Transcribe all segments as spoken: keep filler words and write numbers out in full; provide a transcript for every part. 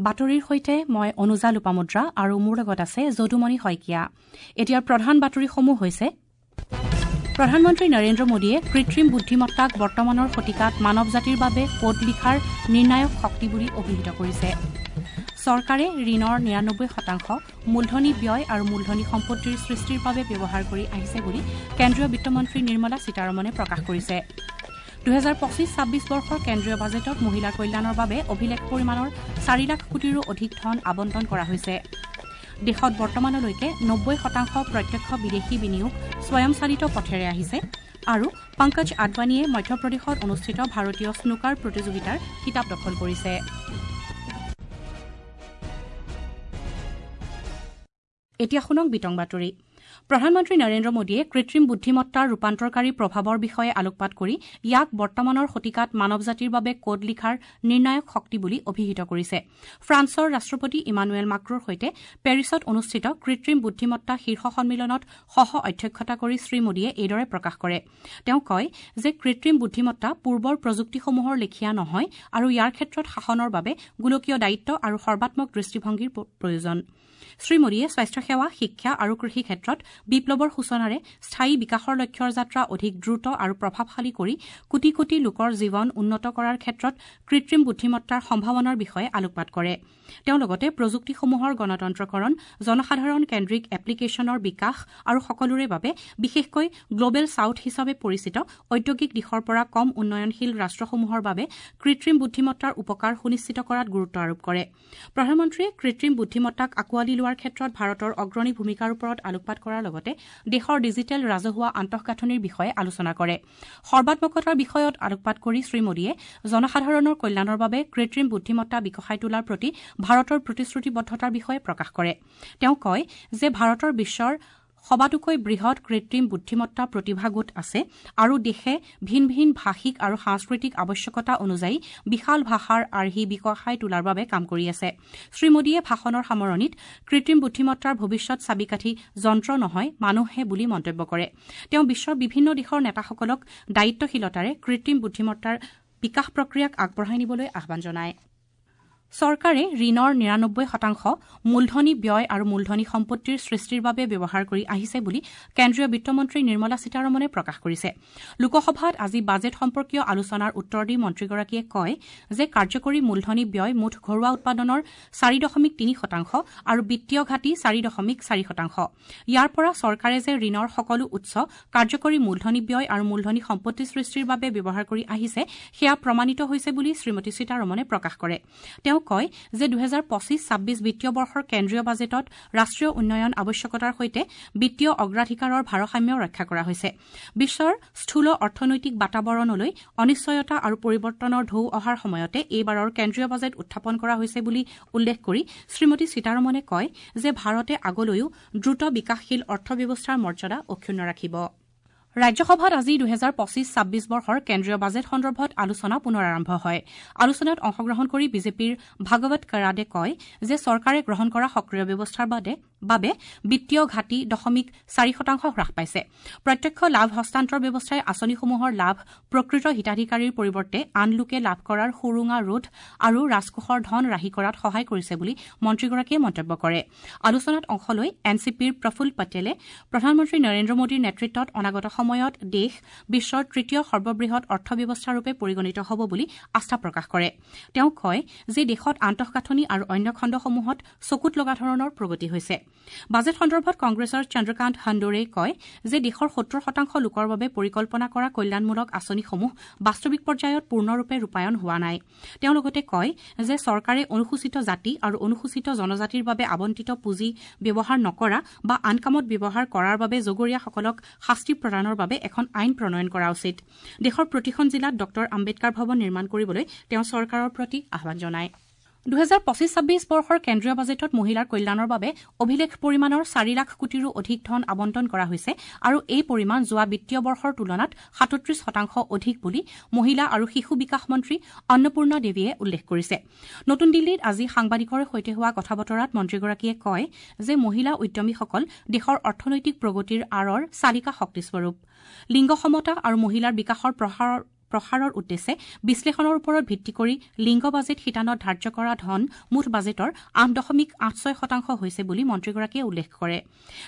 বাতৰিৰ সৈতে মই অনুজা লোপামুদ্ৰা আৰু মোৰ লগত আছে যদুমণি শইকীয়া। এতিয়াৰ প্ৰধান বাতৰিসমূহ হৈছে: প্ৰধানমন্ত্ৰী নৰেন্দ্ৰ মোদীয়ে কৃত্ৰিম বুদ্ধিমত্তাক বৰ্তমানৰ শতিকাত মানৱ জাতিৰ বাবে কোড লিখাৰ নিৰ্ণায়ক শক্তি বুলি অভিহিত কৰিছে। চৰকাৰে ঋণৰ নিৰানব্বৈ শতাংশ মূলধনী ব্যয় আৰু মূলধনী সম্পত্তিৰ সৃষ্টিৰ বাবে ব্যৱহাৰ কৰি আহিছে বুলি কেন্দ্ৰীয় বিত্তমন্ত্ৰী নিৰ্মলা সীতাৰমণে প্ৰকাশ কৰিছে। দুহেজাৰ পঁচিছ ছাব্বিছ বৰ্ষৰ কেন্দ্ৰীয় বাজেটত মহিলাৰ কল্যাণৰ বাবে অভিলেখ পৰিমাণৰ চাৰি লাখ কোটিৰো অধিক ধন আবণ্টন কৰা হৈছে। দেশত বৰ্তমানলৈকে নব্বৈ শতাংশ প্ৰত্যক্ষ বিদেশী বিনিয়োগ স্বয়ংচালিত পথেৰে আহিছে। আৰু পংকজ আদৱানীয়ে মধ্যপ্ৰদেশত অনুষ্ঠিত ভাৰতীয় স্নুকাৰ প্ৰতিযোগিতাৰ খিতাপ দখল কৰিছে। এতিয়া শুনক বিতং বাতৰি। প্ৰধানমন্ত্ৰী নৰেন্দ্ৰ মোদীয়ে কৃত্ৰিম বুদ্ধিমত্তাৰ ৰূপান্তৰকাৰী প্ৰভাৱৰ বিষয়ে আলোকপাত কৰি ইয়াক বৰ্তমানৰ শতিকাত মানৱ জাতিৰ বাবে কোড লিখাৰ নিৰ্ণায়ক শক্তি বুলি অভিহিত কৰিছে। ফ্ৰান্সৰ ৰাষ্ট্ৰপতি ইমানুৱেল মাক্ৰোৰ সৈতে পেৰিছত অনুষ্ঠিত কৃত্ৰিম বুদ্ধিমত্তা শীৰ্ষ সন্মিলনত সহ অধ্যক্ষতা কৰি শ্ৰীমোদীয়ে এইদৰে প্ৰকাশ কৰে। তেওঁ কয় যে কৃত্ৰিম বুদ্ধিমত্তা পূৰ্বৰ প্ৰযুক্তিসমূহৰ লেখীয়া নহয় আৰু ইয়াৰ ক্ষেত্ৰত শাসনৰ বাবে গোলকীয় দায়িত্ব আৰু সৰ্বাত্মক দৃষ্টিভংগীৰ প্ৰয়োজন। শ্ৰীমোদীয়ে স্বাস্থ্যসেৱা, শিক্ষা আৰু কৃষি ক্ষেত্ৰত বিপ্লৱৰ সূচনাৰে স্থায়ী বিকাশৰ লক্ষ্যৰ যাত্ৰা অধিক দ্ৰুত আৰু প্ৰভাৱশালী কৰি কোটি কোটি লোকৰ জীৱন উন্নত কৰাৰ ক্ষেত্ৰত কৃত্ৰিম বুদ্ধিমত্তাৰ সম্ভাৱনাৰ বিষয়ে আলোকপাত কৰে। তেওঁ লগতে প্ৰযুক্তিসমূহৰ গণতন্ত্ৰকৰণ, জনসাধাৰণ কেন্দ্ৰিক এপ্লিকেশ্যনৰ বিকাশ আৰু সকলোৰে বাবে বিশেষকৈ গ্লবেল ছাউথ হিচাপে পৰিচিত ঔদ্যোগিক দিশৰ পৰা কম উন্নয়নশীল ৰাষ্ট্ৰসমূহৰ বাবে কৃত্ৰিম বুদ্ধিমত্তাৰ উপকাৰ সুনিশ্চিত কৰাত গুৰুত্ব আৰোপ কৰে। প্ৰধানমন্ত্ৰীয়ে কৃত্ৰিম বুদ্ধিমত্তাক আকোৱালি লোৱাৰ ক্ষেত্ৰত ভাৰতৰ অগ্ৰণী ভূমিকাৰ ওপৰত আলোকপাত কৰাৰ লগতে দেশৰ ডিজিটেল ৰাজহুৱা আন্তঃগাঁথনিৰ বিষয়ে আলোচনা কৰে। সৰ্বাত্মকতাৰ বিষয়ত আলোকপাত কৰি শ্ৰীমোদীয়ে জনসাধাৰণৰ কল্যাণৰ বাবে কৃত্ৰিম বুদ্ধিমত্তা বিকশাই তোলাৰ প্ৰতি ভাৰতৰ প্ৰতিশ্ৰুতিবদ্ধতাৰ বিষয়ে প্ৰকাশ কৰে। তেওঁ কয় যে ভাৰতৰ বিশ্বৰ সবাতোকৈ বৃহৎ কৃত্ৰিম বুদ্ধিমত্তা প্ৰতিভা গোট আছে আৰু দেশে ভিন ভিন ভাষিক আৰু সাংস্কৃতিক আৱশ্যকতা অনুযায়ী বিশাল ভাষাৰ আৰ্হি বিকশাই তোলাৰ বাবে কাম কৰি আছে। শ্ৰীমোদীয়ে ভাষণৰ সামৰণিত কৃত্ৰিম বুদ্ধিমত্তাৰ ভৱিষ্যত চাবিকাঠি যন্ত্ৰ নহয় মানুহে বুলি মন্তব্য কৰে। তেওঁ বিশ্বৰ বিভিন্ন দেশৰ নেতাসকলক দায়িত্বশীলতাৰে কৃত্ৰিম বুদ্ধিমত্তাৰ বিকাশ প্ৰক্ৰিয়াক আগবঢ়াই নিবলৈ আহ্বান জনায়। চৰকাৰে ঋণৰ নিৰানব্বৈ শতাংশ মূলধনী ব্যয় আৰু মূলধনী সম্পত্তিৰ সৃষ্টিৰ বাবে ব্যৱহাৰ কৰি আহিছে বুলি কেন্দ্ৰীয় বিত্তমন্ত্ৰী নিৰ্মলা সীতাৰমণে প্ৰকাশ কৰিছে। লোকসভাত আজি বাজেট সম্পৰ্কীয় আলোচনাৰ উত্তৰ দি মন্ত্ৰীগৰাকীয়ে কয় যে কাৰ্যকৰী মূলধনী ব্যয় মুঠ ঘৰুৱা উৎপাদনৰ চাৰি দশমিক তিনি শতাংশ আৰু বিত্তীয় ঘাটি চাৰি দশমিক চাৰি শতাংশ। ইয়াৰ পৰা চৰকাৰে যে ঋণৰ সকলো উৎস কাৰ্যকৰী মূলধনী ব্যয় আৰু মূলধনী সম্পত্তি সৃষ্টিৰ বাবে ব্যৱহাৰ কৰি আহিছে সেয়া প্ৰমাণিত হৈছে বুলি শ্ৰীমতী সীতাৰমণে প্ৰকাশ কৰে। তেওঁ কয় যে দুহেজাৰ পঁচিছ ছাব্বিছ বিত্তীয় বৰ্ষৰ কেন্দ্ৰীয় বাজেটত ৰাষ্ট্ৰীয় উন্নয়ন আৱশ্যকতাৰ সৈতে বিত্তীয় অগ্ৰাধিকাৰৰ ভাৰসাম্য ৰক্ষা কৰা হৈছে। বিশ্বৰ স্থূল অৰ্থনৈতিক বাতাবৰণলৈ অনিশ্চয়তা আৰু পৰিৱৰ্তনৰ ঢৌ অহাৰ সময়তে এইবাৰৰ কেন্দ্ৰীয় বাজেট উত্থাপন কৰা হৈছে বুলি উল্লেখ কৰি শ্ৰীমতী সীতাৰমণে কয় যে ভাৰতে আগলৈও দ্ৰুত বিকাশশীল অৰ্থব্যৱস্থাৰ মৰ্যাদা অক্ষুণ্ণ ৰাখিব। ৰাজ্যসভাত আজি দুহেজাৰ পঁচিছ ছাব্বিছ বৰ্ষৰ কেন্দ্ৰীয় বাজেট সন্দৰ্ভত আলোচনা পুনৰ আৰম্ভ হয়। আলোচনাত অংশগ্ৰহণ কৰি বিজেপিৰ ভাগৱত কৰাডে কয় যে চৰকাৰে গ্ৰহণ কৰা সক্ৰিয় ব্যৱস্থাৰ বাবে বিত্তীয় ঘাটি দশমিক চাৰি শতাংশ হ্ৰাস পাইছে। প্ৰত্যক্ষ লাভ হস্তান্তৰ ব্যৱস্থাই আঁচনিসমূহৰ লাভ প্ৰকৃত হিতাধিকাৰীৰ পৰিৱৰ্তে আন লোকে লাভ কৰাৰ সুৰুঙা ৰোধ আৰু ৰাজকোষৰ ধন ৰাহি কৰাত সহায় কৰিছে বুলি মন্ত্ৰীগৰাকীয়ে মন্তব্য কৰে। আলোচনাত অংশ লৈ এন চি পিৰ প্ৰফুল্ল পেটেলে প্ৰধানমন্ত্ৰী নৰেন্দ্ৰ মোদীৰ নেতৃত্বত অনাগত সময়ত দেশ বিশ্বৰ তৃতীয় সৰ্ববৃহৎ অৰ্থব্যৱস্থাৰূপে পৰিগণিত হ'ব বুলি আস্থা প্ৰকাশ কৰে। তেওঁ কয় যে দেশত আন্তঃগাঁথনি আৰু অন্য খণ্ডসমূহত চকুত লগা ধৰণৰ প্ৰগতি হৈছে। বাজেট সন্দৰ্ভত কংগ্ৰেছৰ চন্দ্ৰকান্ত হাণ্ডোৰে কয় যে দেশৰ সত্তৰ শতাংশ লোকৰ বাবে পৰিকল্পনা কৰা কল্যাণমূলক আঁচনিসমূহ বাস্তৱিক পৰ্যায়ত পূৰ্ণৰূপে ৰূপায়ণ হোৱা নাই। তেওঁ লগতে কয় যে চৰকাৰে অনুসূচিত জাতি আৰু অনুসূচিত জনজাতিৰ বাবে আবণ্টিত পুঁজি ব্যৱহাৰ নকৰা বা আন কামত ব্যৱহাৰ কৰাৰ বাবে জগৰীয়াসকলক শাস্তি প্ৰদানৰ বাবে এখন আইন প্ৰণয়ন কৰা উচিত। দেশৰ প্ৰতিখন জিলাত ডঃ আম্বেদকাৰ ভৱন নিৰ্মাণ কৰিবলৈ তেওঁ চৰকাৰৰ প্ৰতি আহ্বান জনায়। দুহেজাৰ পঁচিছ ছাব্বিছ বৰ্ষৰ কেন্দ্ৰীয় বাজেটত মহিলাৰ কল্যাণৰ বাবে অভিলেখ পৰিমাণৰ চাৰি লাখ কোটিৰো অধিক ধন আবণ্টন কৰা হৈছে আৰু এই পৰিমাণ যোৱা বিত্তীয় বৰ্ষৰ তুলনাত সাতত্ৰিশ শতাংশ অধিক বুলি মহিলা আৰু শিশু বিকাশ মন্ত্ৰী অন্নপূৰ্ণা দেৱীয়ে উল্লেখ কৰিছে। নতুন দিল্লীত আজি সাংবাদিকৰ সৈতে হোৱা কথা বতৰাত মন্ত্ৰীগৰাকীয়ে কয় যে মহিলা উদ্যমীসকল দেশৰ অৰ্থনৈতিক প্ৰগতিৰ আঁৰৰ চালিকা শক্তিস্বৰূপ। লিংগ সমতা আৰু মহিলাৰ বিকাশৰ প্ৰসাৰৰ প্ৰসাৰৰ উদ্দেশ্যে বিশ্লেষণৰ ওপৰত ভিত্তি কৰি লিংগ বাজেট শিতানত ধাৰ্য কৰা ধন মুঠ বাজেটৰ আঠ দশমিক আঠ ছয় শতাংশ হৈছে বুলি মন্ত্ৰীগৰাকীয়ে উল্লেখ কৰে।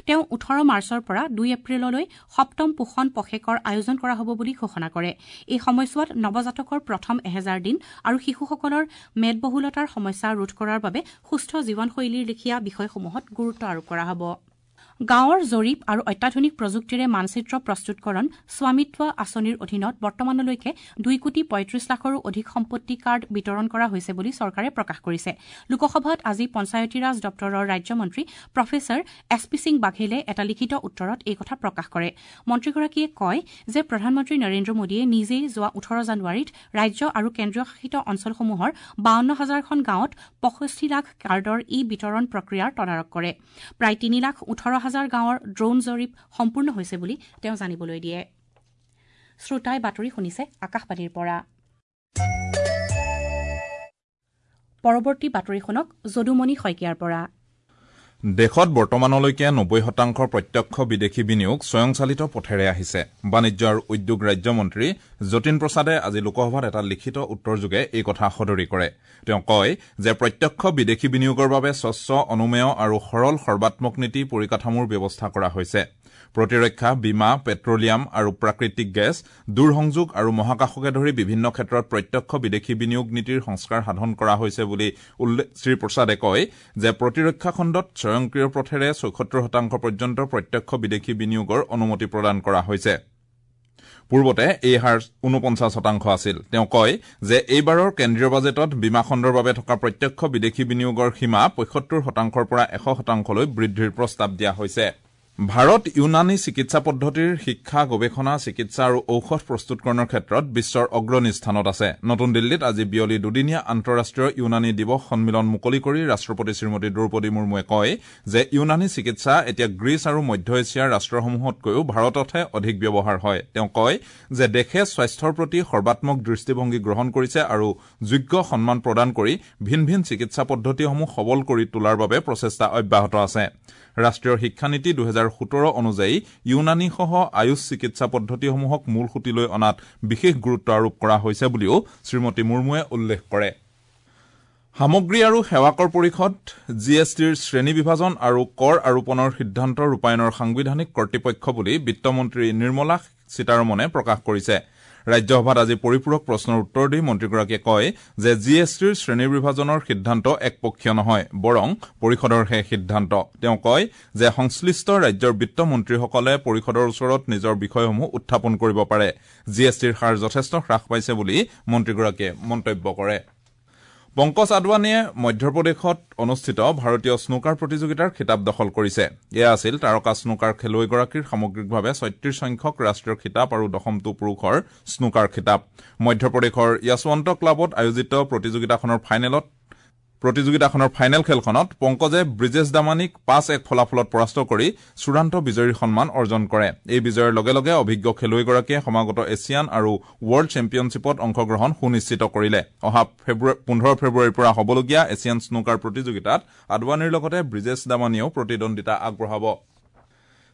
তেওঁ ওঠৰ মাৰ্চৰ পৰা দুই এপ্ৰিললৈ সপ্তম পোষণ পষেকৰ আয়োজন কৰা হ'ব বুলি ঘোষণা কৰে। এই সময়ছোৱাত নৱজাতকৰ প্ৰথম এহেজাৰ দিন আৰু শিশুসকলৰ মেদবহুলতাৰ সমস্যা ৰোধ কৰাৰ বাবে সুস্থ জীৱনশৈলীৰ লেখীয়া বিষয়সমূহত গুৰুত্ব আৰোপ কৰা হ'ব। গাঁৱৰ জৰীপ আৰু অত্যাধুনিক প্ৰযুক্তিৰে মানচিত্ৰ প্ৰস্তুতকৰণ স্বামিত্ব আঁচনিৰ অধীনত বৰ্তমানলৈকে দুই কোটি পঁয়ত্ৰিশ লাখৰো অধিক সম্পত্তি কাৰ্ড বিতৰণ কৰা হৈছে বুলি চৰকাৰে প্ৰকাশ কৰিছে। লোকসভাত আজি পঞ্চায়তীৰাজ দপ্তৰৰ ৰাজ্যমন্ত্ৰী প্ৰফেচাৰ এছ পি সিং বাঘেলে এটা লিখিত উত্তৰত এই কথা প্ৰকাশ কৰে। মন্ত্ৰীগৰাকীয়ে কয় যে প্ৰধানমন্ত্ৰী নৰেন্দ্ৰ মোদীয়ে নিজেই যোৱা ওঠৰ জানুৱাৰীত ৰাজ্য আৰু কেন্দ্ৰীয় শাসিত অঞ্চলসমূহৰ বাৱন্ন হাজাৰখন গাঁৱত পঁয়ষষ্ঠি লাখ কাৰ্ডৰ ই বিতৰণ প্ৰক্ৰিয়াৰ তদাৰক কৰে। প্ৰায় তিনি লাখ ওঠৰ হাজাৰ গাঁৱৰ ড্ৰোন জৰীপ সম্পূৰ্ণ হৈছে বুলি তেওঁ জানিবলৈ দিয়ে। শ্ৰোতাই বাতৰি শুনিছে আকাশবাণীৰ পৰা। পৰৱৰ্তী বাতৰি শুনক যদুমণি শইকীয়াৰ পৰা। দেশত বৰ্তমানলৈকে নব্বৈ শতাংশ প্ৰত্যক্ষ বিদেশী বিনিয়োগ স্বয়ংচালিত পথেৰে আহিছে। বাণিজ্য আৰু উদ্যোগ ৰাজ্যমন্ত্ৰী যতীন প্ৰসাদে আজি লোকসভাত এটা লিখিত উত্তৰযোগে এই কথা সদৰি কৰে। তেওঁ কয় যে প্ৰত্যক্ষ বিদেশী বিনিয়োগৰ বাবে স্বচ্ছ, অনুমেয় আৰু সৰল সৰ্বাত্মক নীতি পৰিকাঠামোৰ ব্যৱস্থা কৰা হৈছে। প্ৰতিৰক্ষা, বীমা, পেট্ৰলিয়াম আৰু প্ৰাকৃতিক গেছ, দূৰসংযোগ আৰু মহাকাশকে ধৰি বিভিন্ন ক্ষেত্ৰত প্ৰত্যক্ষ বিদেশী বিনিয়োগ নীতিৰ সংস্কাৰ সাধন কৰা হৈছে বুলি শ্ৰীপ্ৰসাদে কয় যে প্ৰতিৰক্ষা খণ্ডত স্বয়ংক্ৰিয় পথেৰে ছয়সত্তৰ শতাংশ পৰ্যন্ত প্ৰত্যক্ষ বিদেশী বিনিয়োগৰ অনুমতি প্ৰদান কৰা হৈছে। পূৰ্বতে এই হাৰ ঊনপঞ্চাছ শতাংশ আছিল। তেওঁ কয় যে এইবাৰৰ কেন্দ্ৰীয় বাজেটত বীমা খণ্ডৰ বাবে থকা প্ৰত্যক্ষ বিদেশী বিনিয়োগৰ সীমা পঁয়সত্তৰ শতাংশৰ পৰা এশ শতাংশলৈ বৃদ্ধিৰ প্ৰস্তাৱ দিয়া হৈছে। ভাৰত ইউনানী চিকিৎসা পদ্ধতিৰ শিক্ষা, গৱেষণা, চিকিৎসা আৰু ঔষধ প্ৰস্তুতকৰণৰ ক্ষেত্ৰত বিশ্বৰ অগ্ৰণী স্থানত আছে। নতুন দিল্লীত আজি বিয়লি দুদিনীয়া আন্তঃৰাষ্ট্ৰীয় ইউনানী দিৱস সন্মিলন মুকলি কৰি ৰাষ্ট্ৰপতি শ্ৰীমতী দ্ৰৌপদী মুৰ্মুৱে কয় যে ইউনানী চিকিৎসা এতিয়া গ্ৰীচ আৰু মধ্য এছিয়াৰ ৰাষ্ট্ৰসমূহতকৈও ভাৰততহে অধিক ব্যৱহাৰ হয়। তেওঁ কয় যে দেশে স্বাস্থ্যৰ প্ৰতি সৰ্বাত্মক দৃষ্টিভংগী গ্ৰহণ কৰিছে আৰু যোগ্য সন্মান প্ৰদান কৰি ভিন ভিন চিকিৎসা পদ্ধতিসমূহ সবল কৰি তোলাৰ বাবে প্ৰচেষ্টা অব্যাহত আছে। ৰাষ্ট্ৰীয় শিক্ষানীতি দুহেজাৰ সোতৰ অনুযায়ী ইউনানীসহ আয়ুষ চিকিৎসা পদ্ধতিসমূহক মূল সুঁতিলৈ অনাত বিশেষ গুৰুত্ব আৰোপ কৰা হৈছে বুলিও শ্ৰীমতী মুৰ্মুৱে উল্লেখ কৰে। সামগ্ৰী আৰু সেৱা কৰ পৰিষদ জি এছ টিৰ শ্ৰেণী বিভাজন আৰু কৰ আৰোপণৰ সিদ্ধান্ত ৰূপায়ণৰ সাংবিধানিক কৰ্তৃপক্ষ বুলি বিত্তমন্ত্ৰী নিৰ্মলা সীতাৰমণে প্ৰকাশ কৰিছে। ৰাজ্যসভাত আজি পৰিপূৰক প্ৰশ্নৰ উত্তৰ দি মন্ত্ৰীগৰাকীয়ে কয় যে জি এছ টিৰ শ্ৰেণী বিভাজনৰ সিদ্ধান্ত একপক্ষীয় নহয়, বৰং পৰিষদৰহে সিদ্ধান্ত। তেওঁ কয় যে সংশ্লিষ্ট ৰাজ্যৰ বিত্তমন্ত্ৰীসকলে পৰিষদৰ ওচৰত নিজৰ বিষয়সমূহ উত্থাপন কৰিব পাৰে। জি এছ টিৰ হাৰ যথেষ্ট হ্ৰাস পাইছে বুলি মন্ত্ৰীগৰাকীয়ে মন্তব্য কৰে। পংকজ আদৱানীয়ে মধ্যপ্ৰদেশত অনুষ্ঠিত ভাৰতীয় স্নুকাৰ প্ৰতিযোগিতাৰ খিতাপ দখল কৰিছে। এয়া আছিল তাৰকা স্নুকাৰ খেলুৱৈগৰাকীৰ সামগ্ৰিকভাৱে ছয়ত্ৰিশ সংখ্যক ৰাষ্ট্ৰীয় খিতাপ আৰু দশমটো পুৰুষৰ স্নুকাৰ খিতাপ। মধ্যপ্ৰদেশৰ য়শৱন্ত ক্লাবত আয়োজিত প্ৰতিযোগিতাখনৰ ফাইনেলত প্ৰতিযোগিতাখনৰ ফাইনেল খেলখনত পংকজে ব্ৰিজেশ দামানীক পাঁচ এক ফলাফলত পৰাস্ত কৰি চূড়ান্ত বিজয়ীৰ সন্মান অৰ্জন কৰে। এই বিজয়ৰ লগে লগে অভিজ্ঞ খেলুৱৈগৰাকীয়ে সমাগত এছিয়ান আৰু ৱৰ্ল্ড চেম্পিয়নশ্বিপত অংশগ্ৰহণ সুনিশ্চিত কৰিলে। অহা পোন্ধৰ ফেব্ৰুৱাৰীৰ পৰা হ'বলগীয়া এছিয়ান স্নুকাৰ প্ৰতিযোগিতাত আদৱানীৰ লগতে ব্ৰিজেশ দামানীয়েও প্ৰতিদ্বন্দ্বিতা আগবঢ়াব।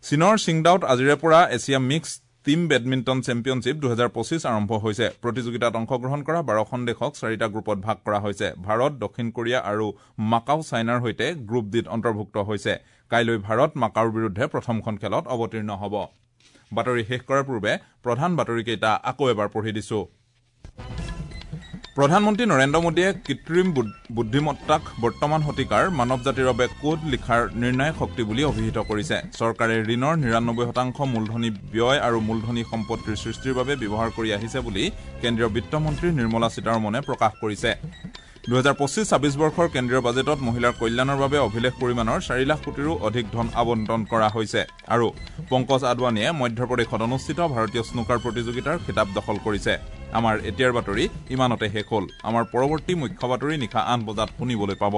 চীনৰ ছিংডাওত আজিৰে পৰা Asia mixed team badminton championship দুহেজাৰ পঁচিছ আৰম্ভ হৈছে। প্ৰতিযোগিতাত অংশগ্ৰহণ কৰা বাৰখন দেশক চাৰিটা গ্ৰুপত ভাগ কৰা হৈছে। ভাৰত, দক্ষিণ কোৰিয়া আৰু মাকাও চাইনাৰ সৈতে গ্ৰুপ ডিত অন্তৰ্ভুক্ত হৈছে। কাইলৈ ভাৰত মাকাওৰ বিৰুদ্ধে প্ৰথমখন খেলত অৱতীৰ্ণ হ'ব। বাতৰি শেষ কৰাৰ পূৰ্বে প্ৰধান বাতৰিকেইটা আকৌ এবাৰ পঢ়ি দিছো। প্ৰধানমন্ত্ৰী নৰেন্দ্ৰ মোদীয়ে কৃত্ৰিম বুদ্ধিমত্তাক বৰ্তমান শতিকাৰ মানৱ জাতিৰ বাবে কোড লিখাৰ নিৰ্ণায়ক শক্তি বুলি অভিহিত কৰিছে। চৰকাৰে ঋণৰ নিৰানব্বৈ শতাংশ মূলধনী ব্যয় আৰু মূলধনী সম্পত্তিৰ সৃষ্টিৰ বাবে ব্যৱহাৰ কৰি আহিছে বুলি কেন্দ্ৰীয় বিত্তমন্ত্ৰী নিৰ্মলা সীতাৰমণে প্ৰকাশ কৰিছে। দুহেজাৰ পঁচিছ ছাব্বিছ বৰ্ষৰ কেন্দ্ৰীয় বাজেটত মহিলাৰ কল্যাণৰ বাবে অভিলেখ পৰিমাণৰ চাৰি লাখ কোটিৰো অধিক ধন আবণ্টন কৰা হৈছে। আৰু পংকজ আদৱানীয়ে মধ্যপ্ৰদেশত অনুষ্ঠিত ভাৰতীয় স্নুকাৰ প্ৰতিযোগিতাৰ খিতাপ দখল কৰিছে। আমাৰ এতিয়াৰ বাতৰি ইমানতে শেষ হ'ল। আমাৰ পৰৱৰ্তী মুখ্য বাতৰি নিশা আঠ বজাত শুনিবলৈ পাব।